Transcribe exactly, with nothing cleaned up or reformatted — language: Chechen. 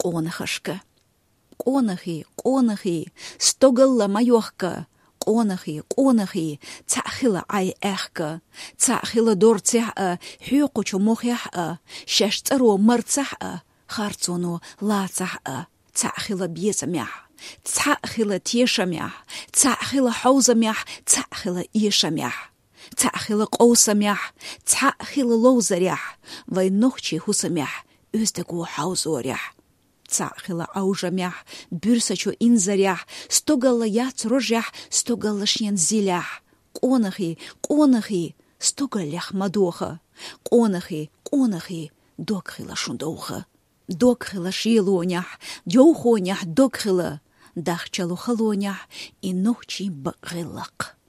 къонахашка. Къонахий, къонахий, стогалла ма йохка. Къонахий, къонахий, цхьаъ хила Ӏай аьхка. Цхьаъ хила дорцехь а, хьоькхучу мохехь а, шаьш цӀаро марцахь а, харцоно лацахь а. Цхьаъ хила безамехь, цхьаъ хила тешамехь, цхьаъ хила хьовзамехь, цхьаъ хила эшамехь, цхьаъ хила къовсамехь, цхьаъ хила ловзарехь, вай нохчий хӀусамехь, оьздаго хьовзорехь. Цхьаъ хила Ӏовжамехь, буьрсачу инзарехь, стогалла яц рожехь, стогалла шен зилехь. Къонахий, къонахий, стогаллех ма доха. Къонахий, къонахий, дог хила шун довха. Дог хила шелонехь, девхонехь дог хила, дахчало халонехь и нохчий бакъ гӀиллакх.